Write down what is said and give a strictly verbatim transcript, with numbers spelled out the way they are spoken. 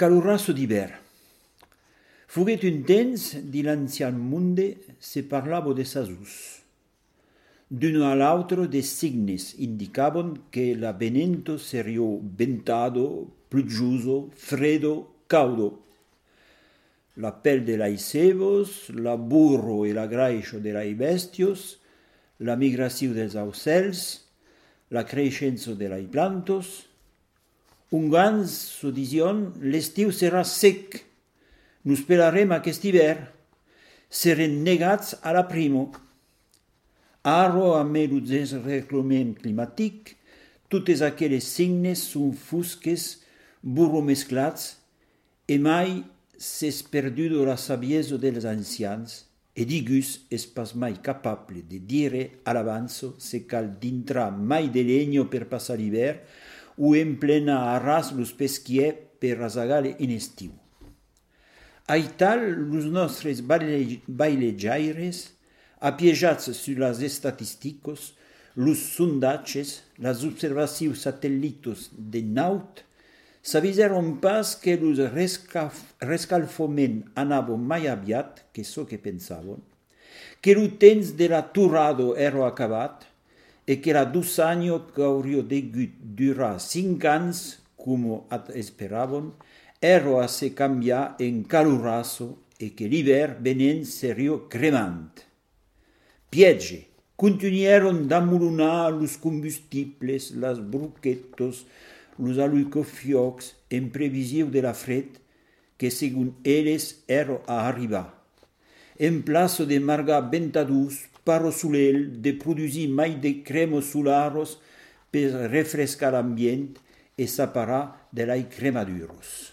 Calurasso d'hivern. Foguet un temps, di l'ancien monde, se parlavo de sasus. D'uno a l'altro de signes indicaban que l'avvenimento serio ventado, pluggioso, freddo, caudo. La pel de lai cebos, la burro e la graixa de lai bestios, la migració dels aucels, la creixença de lai plantos. Un gans so dision, l'estiu serà sec. Nos pelarem aquest hivern. Serem negats a la primo. Aro amb el desreglament climàtic, totes aquelles signes són fusques, burro mesclats, e mai s'és perduto la saviesa dels ancians, e digus és pas mai capable de dire a l'avanzo se cal d'intrar mai de legno per passar l'hivern o en plena arras los pesquier per rasagar in estiu. Aital, los nostres bailejaires, apiejats sur las estatisticos, los sondatges, las observacions satellitos de naut, s'avisaron pas que los rescalfament anava mai aviat que so que pensaven, que el temps de la torrado era acabat e que la dos anys que hauria degut durar cinc anys, com esperaven, era a se canviar en calurasso e que l'hivern venent seria cremant. Piege, continuaron d'amolonar los combustibles, las bruquetos, los alucofiocs en previsió de la fred que, según elles, era a arribar. En plaça de margar ventadús, paro solel, de produir mai de cremos solaros per refrescar l'ambient e separar de lai cremaduros.